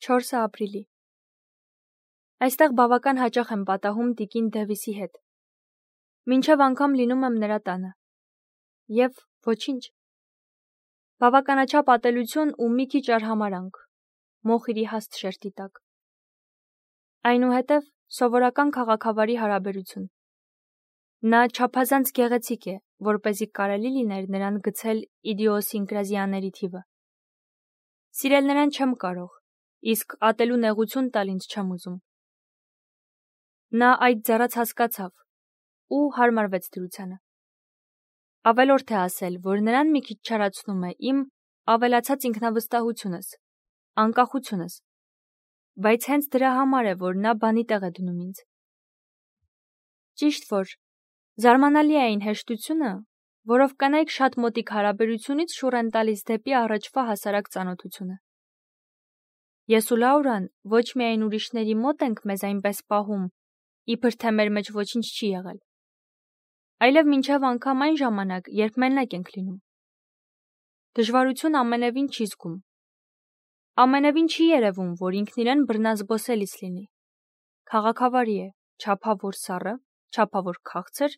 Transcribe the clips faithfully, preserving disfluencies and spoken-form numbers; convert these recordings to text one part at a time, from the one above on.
չորսը ապրիլի։ Այստեղ բավական հաճախ եմ պատահում տիկին Դևիսի հետ։ Մինչև անգամ լինում եմ նրա տանը։ Եվ ոչինչ։ Բավականաչափ ատելություն ու մի քիչ արհամարանք, մոխիրի հաստ շերտի տակ։ Այնուհետև սովորական քաղաքավարի հարաբերություն։ Նա չափազանց գեղեցիկ է, որպեսզի կարելի լիներ նրան գցել իդիոսինկրազիաների թիվը։ Սիրել նրան չեմ կարող, իսկ ատելու նեղություն տալ ինձ չեմ ուզում։ Նա այդ ձեռաց հասկացավ ու հարմարվեց դրությանը։ Ավելորդ է ասել, որ նրան մի քիչ չարացնում է իմ ավելացած ինքնավստահությունս, անկախությունս, բայց հենց դրա համար է, որ նա բանի տեղ է դնում ինձ։ Ճիշտ որ, զարմանալի է այն հեշտությունը, որով կանայք շատ մոտիկ հարաբերությունից շուռ են տալիս դեպի առաջվա հասարակ ծանոթությունը։ Ես ու Լաուրան ոչ միայն ուրիշների մոտ ենք մեզ այնպես պահում, իբր թե մեր մեջ ոչինչ չի եղել, այլև մինչև անգամ այն ժամանակ, երբ մենակ ենք լինում։ Դժվարություն ամենևին չի զգում։ Ամենևին չի երևում, որ ինքն իրեն բռնազբոսելիս լինի։ Քաղաքավարի է, չափավոր սառը, չափավոր քաղցր,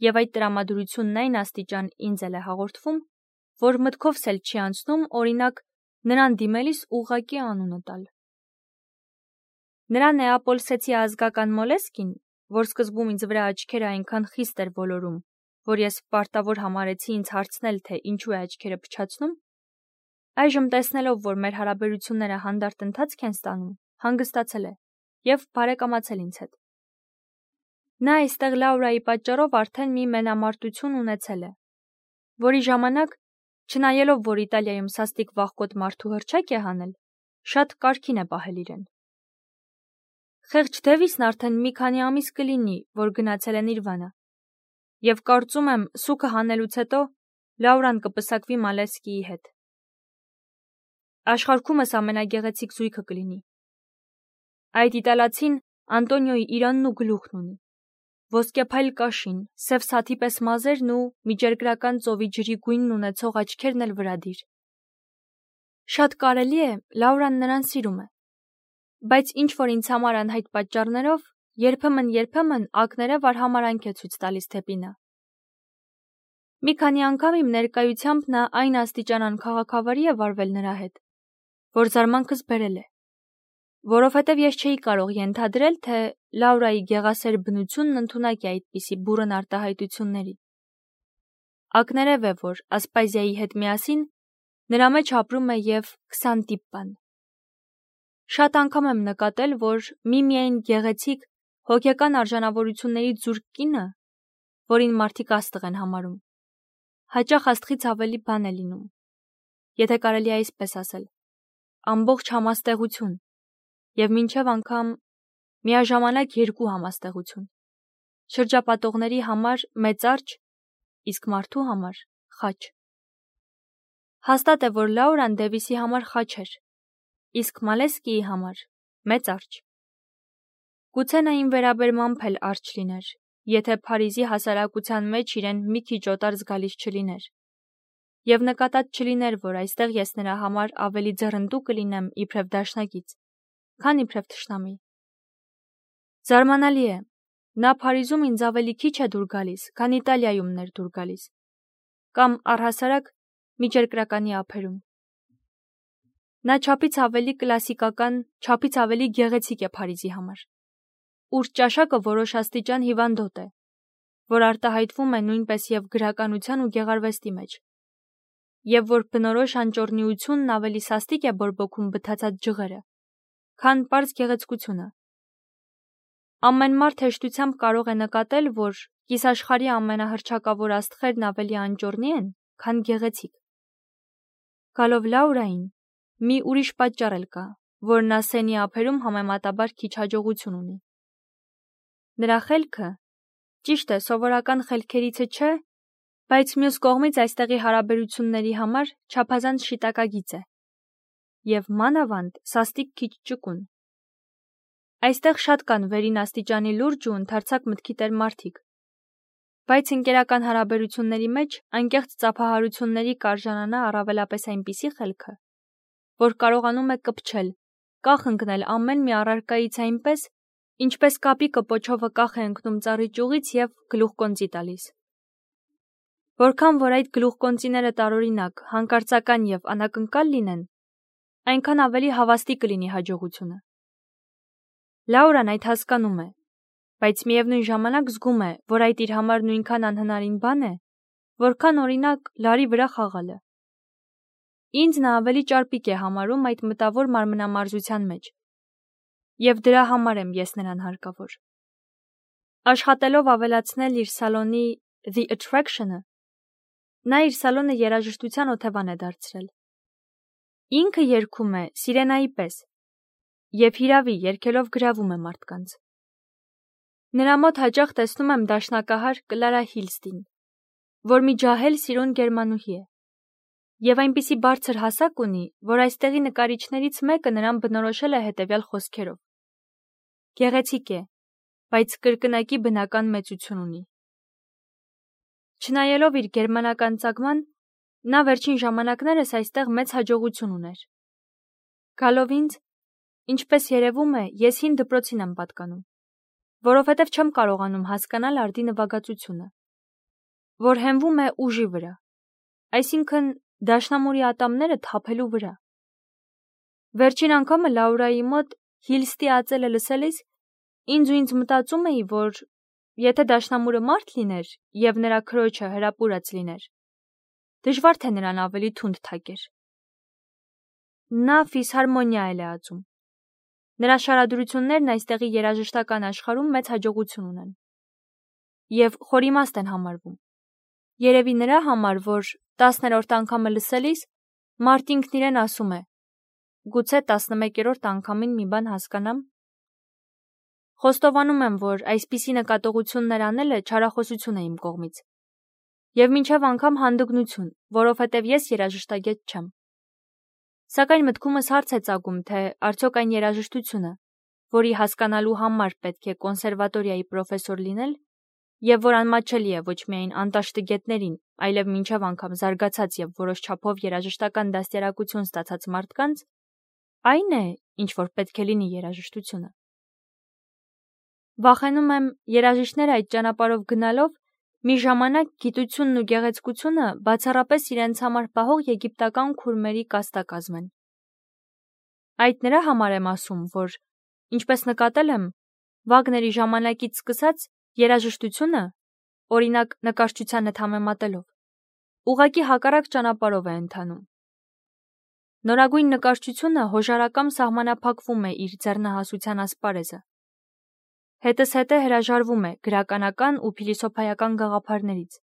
եւ այդ տրամադրությունն այն աստիճան ինձ էլ է հաղորդվում, որ մտքովս էլ չի անցնում, օրինակ, նրան դիմելիս ուղղակի անունը տալ։ Նրա նեապոլսեցի ազգական մոլեսկին, որ սկզբում ինձ վրա աչքերը այնքան խիստ էր ոլորում, որ ես պարտավոր համարեցի ինձ հարցնել, թե ինչու է աչքերը փչացնում, այժմ տեսնելով, որ մեր հարաբերությունները հանդարտ ընթացք են ստանում, հանգստացել է եւ բարեկամացել ինձ հետ։ Նա այստեղ Լաուրայի պատճառով արդեն մի մենամարտություն ունեցել է, որի ժամանակ, չնայելով, որ Իտալիայում սաստիկ վախկոտ մարդու հռչակ է հանել, շատ կարգին է պահել իրեն։ Խեղճ Դևիսն արդեն մի քանի ամիս կլինի, որ գնացել են իր վանը, եւ կարծում եմ, սուքը հանելուց հետո Լաուրան կպսակվի Մալեսկիի հետ։ Աշխարհումս ամենագեղեցիկ զույգը կլինի։ Այդ իտալացին Անտոնիոյի իրանն ու գլուխն ունի, ոսկեփայլ կաշին, սև սաթի պես մազերն ու միջերկրական ծովի ջրի գույնն ունեցող աչքերն էլ վրադիր։ Շատ կարելի է, Լաուրան նրան սիրում է, բայց ինչ որ ինձ համար անհայտ պատճառներով երբեմն-երբեմն ակներև արհամարանք է ցույց տալիս դեպի նա։ Մի քանի անգամ իմ ներկայությամբ նա այն աստիճան անքաղաքավարի է վարվել նրա հետ, որ զարմանքս բերել է, որովհետև ես չէի կարող ենթադրել, թե Լաուրայի գեղասեր բնությունն ընդունակ է այդպիսի բուռն արտահայտությունների։ Ակներև է, որ Ասպազիայի հետ միասին նրա մեջ ապրում է եւ քսան տիպ բան։ Շատ անգամ եմ նկատել, որ միմիայն գեղեցիկ, հոգեկան արժանավորությունների զուրկ կինը, որին մարդիկ աստղ են համարում, հաճախ աստղից ավելի բան է լինում, եթե կարելի է այսպես ասել, ամբողջ համաստեղություն, եւ մինչև անգամ միաժամանակ երկու համաստեղություն, շրջապատողների համար մեծարճ, իսկ մարդու համար խաչ։ Հաստատ է, որ Լաուրան Դևիսի համար խաչ էր, իսկ Մալեսկիի համար մեծարճ։ Գուցե նա իմ վերաբերմամբ էլ արջ լիներ, եթե Փարիզի հասարակության մեջ իրեն մի քիչ օտար զգալիս չլիներ, եւ նկատած չլիներ, որ այստեղ ես նրա համար ավելի ձեռնտու կլինեմ իբրև դաշնակից, քան իբրև թշնամի։ Զարմանալի է, նա Փարիզում ինձ ավելի քիչ է դուր գալիս, քան Իտալիայում ներ դուր գալիս, կամ առհասարակ միջերկրականի ափերում։ Նա չափից ավելի կլասիկական, չափից ավելի գեղեցիկ է Փարիզի համար, ուր ճաշակը որոշ աստիճան հիվանդոտ է, որ արտահայտվում է նույնպես եւ գրականության ու գեղարվեստի մեջ, եւ որ բնորոշ անճոռնիությունն ավելի սաստիկ է բորբոքում բթացած ջղերը, քան պարզ գեղեցկությունը։ Ամեն մարդ հեշտությամբ կարող է նկատել, որ կիսաշխարհի ամենահռչակավոր աստղերն ավելի անճոռնի են, քան գեղեցիկ։ Գալով Լաուրային, մի ուրիշ պատճառ էլ կա, որ նա սենի ափերում համեմատաբար քիչ հաջողություն ունի։ Նրա խելքը, ճիշտ է, սովորական խելքերիցը չէ, բայց մյուս կողմից այստեղի հարաբերությունների համար չափազանց շիտակագիծ է, եւ մանավանդ սաստիկ քիչ ճկուն։ Այստեղ շատ կան վերին աստիճանի լուրջ ու ընդարձակ մտքի տեր մարդիկ, բայց ընկերական հարաբերությունների մեջ անկեղծ ծափահարությունների կարժանանա առավելապես այնպիսի խելքը, որ կարողանում է կպչել, կախ ընկնել ամեն մի առարկայից այնպես, ինչպես կապի կպոչովը կախ է ընկնում ծառի ճյուղից և գլուխկոնծի տալիս։ Որքան որ այդ գլուխկոնծիները տարօրինակ, հանկարծական և անակնկալ լինեն, այնքան ավելի հավաստի կլինի հաջողությունը։ Լաուրան այդ հասկանում է, բայց միևնույն ժամանակ զգում է, որ այդ իր համար նույնքան անհնարին բան է, որքան օրինակ լարի վրա խաղալը։ Ինձ նա ավելի ճարպիկ է համարում այդ մտավոր մարմնամարզության մեջ, և դրա համար եմ ես նրան հարկավոր։ Աշխատելով ավելացնել իր սալոնի The Attraction-ը, նա իր սալոնը երաժշտության օթևան է դարձրել։ Ինքը երգում է սիրենայի պես և հիրավի երգելով գրավում է մարդկանց։ Նրա մոտ հաճախ տեսնում եմ դաշնակահար Կլարա Հիլստին, որ մի ջահել սիրուն գերմանուհի է, և այնպիսի բարձր հասակ ունի, որ այստեղի նկարիչներից մեկը նրան բնորոշել է հետևյալ խոսքերով. «Գեղեցիկ է, բայց կրկնակի բնական մեծություն ունի»։ Չնայելով իր գերմանական ծագման, նա վերջին ժամանակներս այստեղ մեծ հաջողություն ուներ։ Գալով ինձ, ինչպես երևում է, ես հին դպրոցին եմ պատկանում, որովհետև չեմ կարողանում հասկանալ արդի նվագածությունը, որ հենվում է ուժի վրա, այսինքն դաշնամուրի ատամները թափելու վրա։ Վերջին անգամը Լաուրայի մոտ Հիլստի ածելը լսելիս ինձ ու ինձ մտածում էի, որ եթե դաշնամուրը մարդ լիներ և նրա քրոջը հրապուրած լիներ, դժվար թե նրան ավելի թունդ թակեր։ Նա ֆիսհարմոնիա էլ է ածում։ Նրա շարադրություններն այստեղի երաժշտական աշխարհում մեծ հաջողություն ունեն և խորիմաստ են համարվում։ Երևի նրա համար, որ տասներորդ անգամը լսելիս մարդ ինքն իրեն ասում է. «Գուցե տասնմեկերորդ անգամին մի բան հասկանամ»։ Խոստովանում եմ, որ այսպիսի նկատողություններ անելը չարախոսություն է իմ կողմից և մինչև անգամ հանդգնություն, որովհետև ես երաժշտագետ չեմ։ Սակայն մտքումս հարց է ծագում, թե արդյոք այն երաժշտությունը, որի հասկանալու համար պետք է կոնսերվատորիայի պրոֆեսոր լինել, և որ անմատչելի է ոչ միայն անտաշ տգետներին, այլև մինչև անգամ զարգացած և որոշ չափով երաժշտական դաստիարակություն ստացած մարդկանց, այն է, ինչ որ պետք է լինի երաժշտությունը։ Վախենում եմ, երաժիշտները այդ ճանապարհով գնալով մի ժամանակ գիտությունն ու գեղեցկությունը բացառապես իրենց համար պահող եգիպտական քուրմերի կաստա կազմեն։ Այդ նրա համար եմ ասում, որ, ինչպես նկատել եմ, Վագների ժամանակից սկսած երաժշտությունը, օրինակ նկարչությանը համեմատելով, ուղղակի հակառակ ճանապարհով է ընթանում։ Նորագույն նկարչությունը հոժարակամ սահմանափակվում է իր ձեռնահասության ասպարեզը, հետզհետե հրաժարվում է գրականական ու փիլիսոփայական գաղափարներից,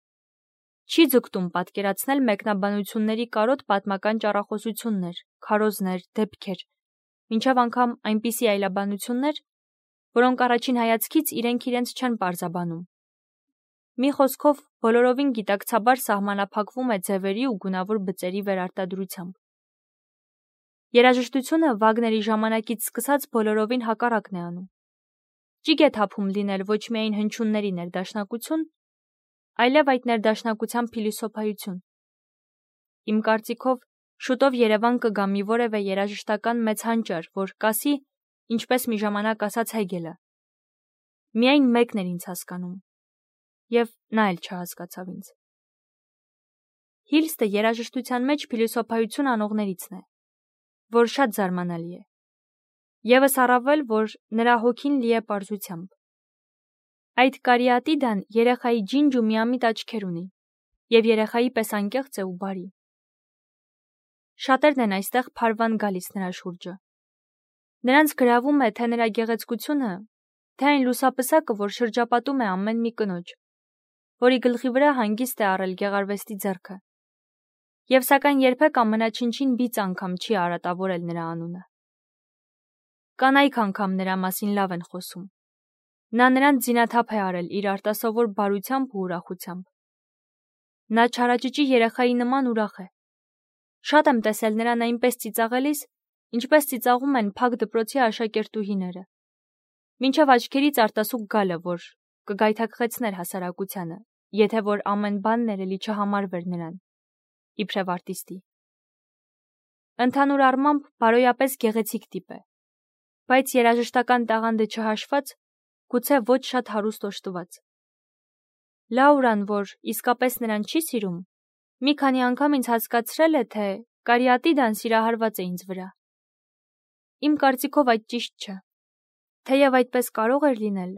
չի ձգտում պատկերացնել մեկնաբանությունների կարոտ պատմական ճառախոսություններ, քարոզներ, դեպքեր, մինչև անգամ այնպիսի այլաբանություններ, որոնք առաջին հայացքից իրենք իրենց չեն պարզաբանում։ Մի խոսքով, բոլորովին գիտակցաբար սահմանափակվում է ձևերի ու գունավոր բծերի վերարտադրությամբ։ Երաժշտությունը Վագների ժամանակից սկսած բոլորովին հակառակն է անում։ Ճիգ է թափում լինել ոչ միայն հնչյունների ներդաշնակություն, այլև այդ ներդաշնակության փիլիսոփայություն։ Իմ կարծիքով, շուտով Երևան կգա մի որևէ երաժշտական մեծ հանճար, որ կասի, ինչպես մի ժամանակ ասաց Հեգելը. «Միայն մեկն էր ինձ հասկանում, և նա էլ չհասկացավ ինձ»։ Հիլստը երաժշտության մեջ փիլիսոփայություն անողներիցն է, որ շատ զարմանալի է։ Եվս առավել, որ նրա հոգին լի է պարզությամբ։ Այդ կարիատիդան երեխայի ջինջ ու միամիտ աչքեր ունի և երեխայի պես անկեղծ է ու բարի։ Շատերն են այստեղ փարվան գալիս նրա շուրջը։ Նրանց գրավում է թե նրա գեղեցկությունը, թե այն լուսապսակը, որ շրջապատում է ամեն մի կնոջ, որի գլխի վրա հանգիստ է առել գեղարվեստի ձեռքը, և սակայն երբեք ամենաչնչին բիծ անգամ չի արատավորել նրա անունը։ Կանայք անգամ նրա մասին լավ են խոսում։ Նա նրանց զինաթափ է արել իր արտասովոր բարությամբ ու ուրախությամբ։ Նա չարաճճի երեխայի նման ուրախ է։ Շատ եմ տեսել նրան այնպես ծիծաղելիս, ինչպես ծիծաղում են փակ դպրոցի աշակերտուհիները, մինչև աչքերից արտասուք գալը, որ կգայթակղեցներ հասարակությանը, եթե որ ամեն բան ներելի չհամարվեր նրան, իբրև արտիստի։ Ընդհանուր առմամբ բարոյապես գեղեցիկ տիպ է, բայց երաժշտական տաղանդը չհաշված, գուցե ոչ շատ հարուստ օժտված։ Լաուրան, որ իսկապես նրան չի սիրում, մի քանի անգամ ինձ հասկացրել է, թե կարիատիդան սիրահարված է ինձ վրա։ Իմ կարծիքով այդ ճիշտ չէ, թեև այդպես կարող էր լինել,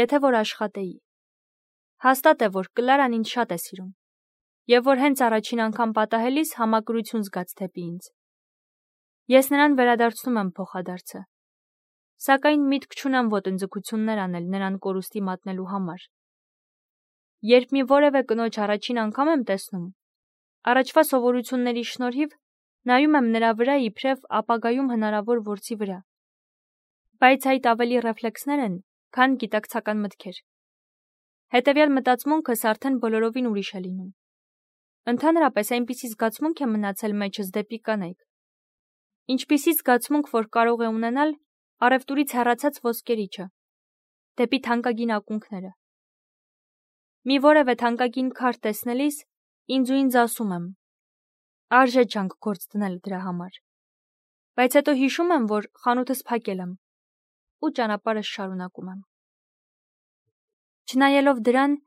եթե որ աշխատեի։ Հաստատ է, որ Կլարան ինձ շատ է սիրում, և որ հենց առաջին անգամ պատահելիս համակրություն զգաց դեպի ինձ։ Ես նրան վերադարձնում եմ փոխադարձը, սակայն միտք չունեմ ոտնձգություններ անել նրան կորուստի մատնելու համար։ Երբ մի որևէ կնոջ առաջին անգամ եմ տեսնում, առաջվա սովորությունների շնորհիվ նայում եմ նրա վրա իբրև ապագայում հնարավոր որսի վրա, բայց այդ ավելի ռեֆլեքսներ են, քան գիտակցական մտքեր։ Հետևյալ մտածմունքս արդեն բոլորովին ուրիշ է լինում։ Ընդհանրապես այնպիսի զգացմունք է մնացել մեջս դեպի կանայք, ինչպիսի զգացմունք, որ կարող է ունենալ առևտուրից հեռացած ոսկերիչը, դեպի թանկագին ակունքները։ Մի որևէ թանկագին քար տեսնելիս ինձ ու ինձ ասում եմ. արժե ջանք գործ դնել դրա համար, բայց հետո հիշում եմ, որ խանութս փակել եմ ու ճանապարհս շարունակում եմ։ Չնայելով դրան,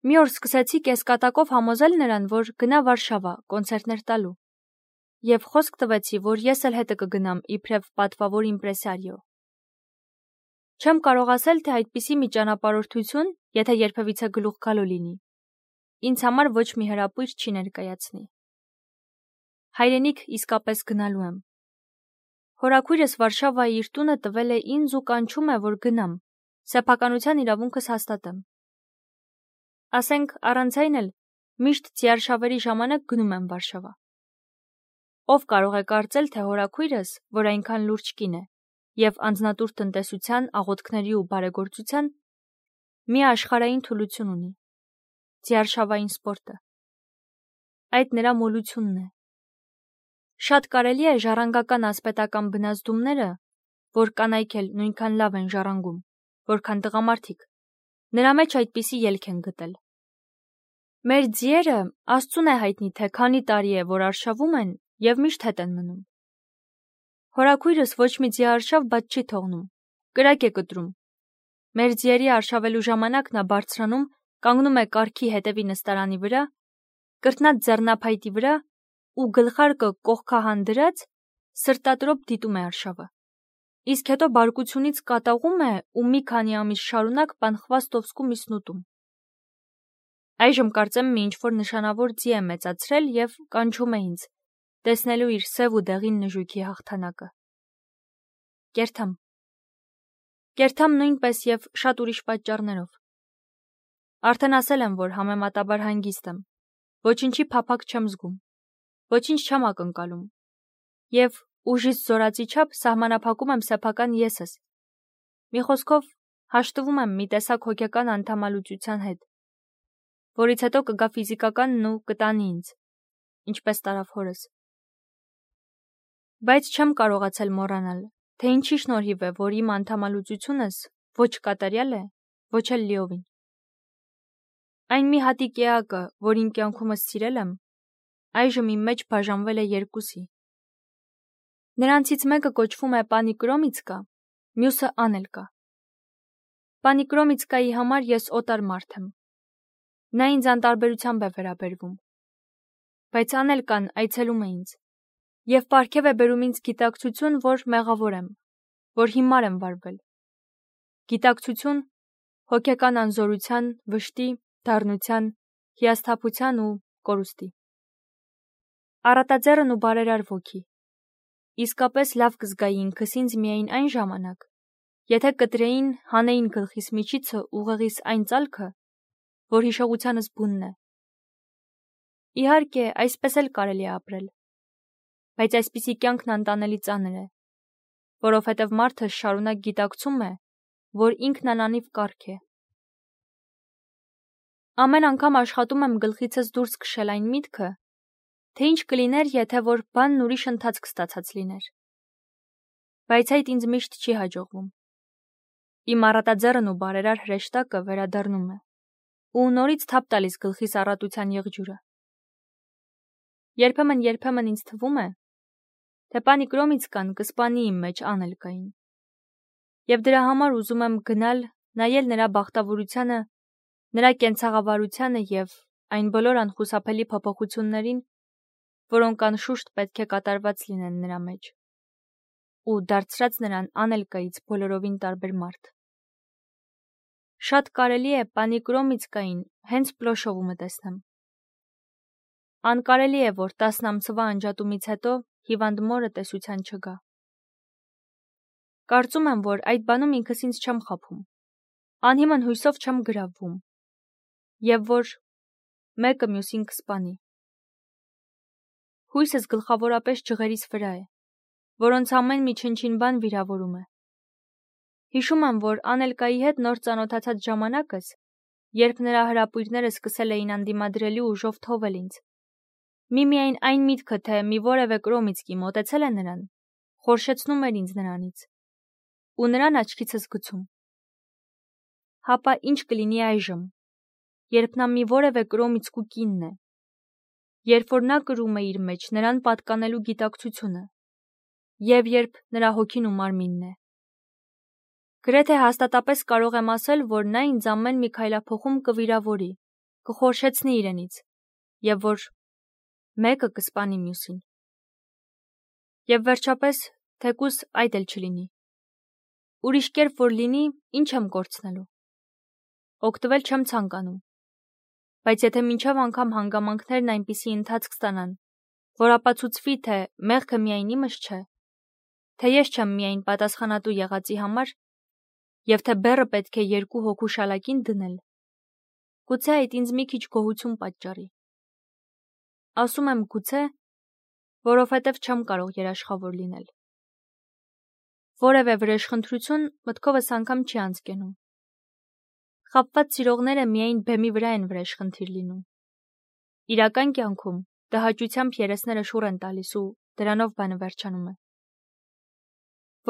մի օր սկսեցի կեսկատակով համոզել նրան, որ գնա Վարշավա կոնցերտներ տալու, և խոսք տվեցի, որ ես էլ հետը կգնամ իբրև պատվավոր իմպրեսարիո։ Չեմ կարող ասել, թե այդպիսի մի ճանապարհորդություն, եթե երբևիցե գլուխ գալու լինի, ինձ համար ոչ մի հրապույր չի ներկայացնի։ Հայրենիք իսկապես գնալու եմ։ Հորաքույրս Վարշավայի իր տունը տվել է ինձ ու կանչում է, որ գնամ, սեփականության իրավունքս հաստատեմ։ Ասենք, առանց այն էլ միշտ ձիարշավերի ժամանակ գնում եմ Վարշավա։ Ով կարող է կարծել, թե հորաքույրս, որ այնքան լուրջ կին է, և անձնատուր տնտեսության, աղոթքների ու բարեգործության, մի աշխարհային թուլություն ունի՝ ձիարշավային սպորտը։ Այդ նրա մոլությունն է։ Շատ կարելի է ժառանգական ասպետական բնազդումները, որ կանայք էլ նույնքան լավ են ժառանգում, որքան տղամարդիկ, նրա մեջ այդպիսի ելք են գտել։ Մեր ձիերը Աստծուն է հայտնի, թե քանի տարի է, որ արշավում են և միշտ հետ են մնում։ Հորաքույրս ոչ մի ձիարշավ բաց չի թողնում, կրակ է կտրում։ Մեր ձիերի արշավելու ժամանակ նա բարձրանում, կանգնում է կառքի հետևի նստարանի վրա, կրտնած ձեռնափայտի վրա ու գլխարկը կողքահան դրած սրտատրոփ դիտում է արշավը, իսկ հետո բարկությունից կատաղում է ու մի քանի ամիս շարունակ պանխվաստովսկու միսն ուտում։ Այժմ կարծեմ մի ինչ-որ նշանավոր ձի է մեծացրել և կանչում է ինձ, տեսնելու իր սև ու դեղին նժույգի հաղթանակը։ Կերթամ։ Կերթամ նույնպես և շատ ուրիշ պատճառներով։ Արդեն ասել եմ, որ համեմատաբար հանգիստ եմ, ոչինչի փափագ չեմ զգում, ոչինչ չեմ ակնկալում, և ուժից զորացի չափ սահմանափակում եմ սեփական եսս։ Մի խոսքով, հաշտվում եմ մի տեսակ հոգեկան անդամալուծության հետ, որից հետո կգա ֆիզիկականն ու կտանի ինձ, ինչպես տարավ հորս։ Բայց չեմ կարողացել մոռանալ, թե ինչի շնորհիվ է, որ իմ անդամալուծությունս ոչ կատարյալ է, ոչ էլ լիովին։ Այն մի հատիկ էակը, որ իմ կյանքումս սիրել եմ, այժմ իմ մեջ բաժանվել է երկուսի։ Նրանցից մեկը կոչվում է Պանի Կրոմիցկա, մյուսը Անելկա։ Պանի Կրոմիցկայի համար ես օտար մարդ եմ։ Նա ինձ անտարբերությամբ է վերաբերվում, բայց Անելկան այցելում է ինձ և պարգև է բերում ինձ գիտակցություն, որ մեղավոր եմ, որ հիմար եմ վարվել։ Գիտակցություն հոգեկան անզորության, վշտի, դառնության, հիասթափության ու կորուստի։ Առատաձեռն ու բարերար ոգի։ Իսկապես լավ կզգայի ինքս ինձ միայն այն ժամանակ, եթե կտրեին, հանեին գլխիս միջիցը ուղեղիս այն ծալքը, որ հիշողությանս բունն է։ Իհարկե, այսպես էլ կարելի է ապրել, բայց այսպիսի կյանքն անտանելի ծանր է, որովհետև մարդը շարունակ գիտակցում է, որ ինքն անանիվ կառք է։ Ամեն անգամ աշխատում եմ գլխիցս դուրս քշել այն միտքը, թե ինչ կլիներ, եթե որ բանն ուրիշ ընթացք ստացած լիներ։ Բայց այդ ինձ միշտ չի հաջողվում։ Իմ առատաձեռն ու բարերար հրեշտակը վերադառնում է ու նորից թափ տալիս գլխիս առատության եղջյուրը։ Երբեմն-երբեմն ինձ թվում է, թե Պանի Կրոմիցկան կսպանի իմ մեջ Անելկային, Եվ դրա համար ուզում եմ գնալ, նայել նրա բախտավորությանը, նրա կենցաղավարությանը և այն բոլոր անխուսափելի փոփոխություններին, որոնք անշուշտ պետք է կատարված լինեն նրա մեջ, ու դարձրած նրան անելկայից բոլորովին տարբեր մարդ։ Շատ կարելի է պանի Կրոմիցկային հենց Պլոշովումը տեսնեմ։ Անկարելի է, որ տասն ամսվա անջատումից հետո հիվանդ մորը տեսության չգա։ Կարծում եմ, որ այդ բանում ինքս ինձ չեմ խաբում, անհիմն հույսով չեմ գրավվում, և որ մեկը մյուսին կսպանի։ Հույսս գլխավորապես ջղերիս վրա է, որոնց ամեն մի չնչին բան վիրավորում է։ Հիշում եմ, որ անելկայի հետ նոր ծանոթացած ժամանակս, երբ նրա հրապույրները սկսել էին անդիմադրելի ուժով թովել ինձ, միմիայն այն միտքը, թե մի որևէ Կրոմիցկի մոտեցել է նրան, խորշեցնում էր ինձ նրանից, ու նրան աչքիցս գցում։ Հապա ինչ կլինի այժմ, երբ նա մի որևէ Կրոմիցկու կինն է, երբ որ նա կրում է իր մեջ նրան պատկանելու գիտակցությունը, և երբ նրա հոգին ու մարմինն է։ Գրեթե հաստատապես կարող եմ ասել, որ նա ինձ ամեն մի քայլափոխում կվիրավորի, կխորշեցնի իրենից, և որ մեկը կսպանի մյուսին։ Եվ վերջապես, թեկուզ այդ էլ չլինի։ Ուրիշ կերպ որ լինի, ինչ եմ կորցնելու։ Օգտվել չեմ ցանկանում, բայց եթե մինչև անգամ հանգամանքներն այնպիսի ընթացք ստանան, որ ապացուցվի, թե մեղքը միայն իմս չէ, թե ես չեմ միայն պատասխանատու եղածի համար, և թե բեռը պետք է երկու հոգու շալակին դնել, գուցե այդ ինձ մի քիչ գոհություն պատճառի։ Ասում եմ գուցե, որովհետև չեմ կարող երաշխավոր լինել։ Որևէ վրեժխնդրություն մտքովս անգամ չի անցկենում։ Խաբված սիրողները միայն բեմի վրա են վրեժխնդիր լինում։ Իրական կյանքում տհաճությամբ երեսները շուռ են տալիս ու դրանով բանը վերջանում է։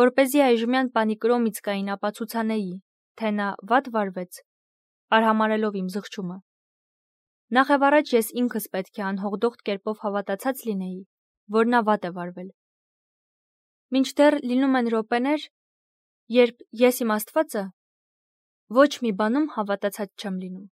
Որպեսզի այժմյան պանի Կրոմիցկային ապացուցանեի, թե նա վատ վարվեց, արհամարհելով իմ զղջումը, նախևառաջ ես ինքս պետք է անհողդողդ կերպով հավատացած լինեի, որ նա վատ է վարվել։ Մինչդեռ լինում են րոպեներ, երբ ես իմ Աստվածը ոչ մի բանում հավատացած չեմ լինում։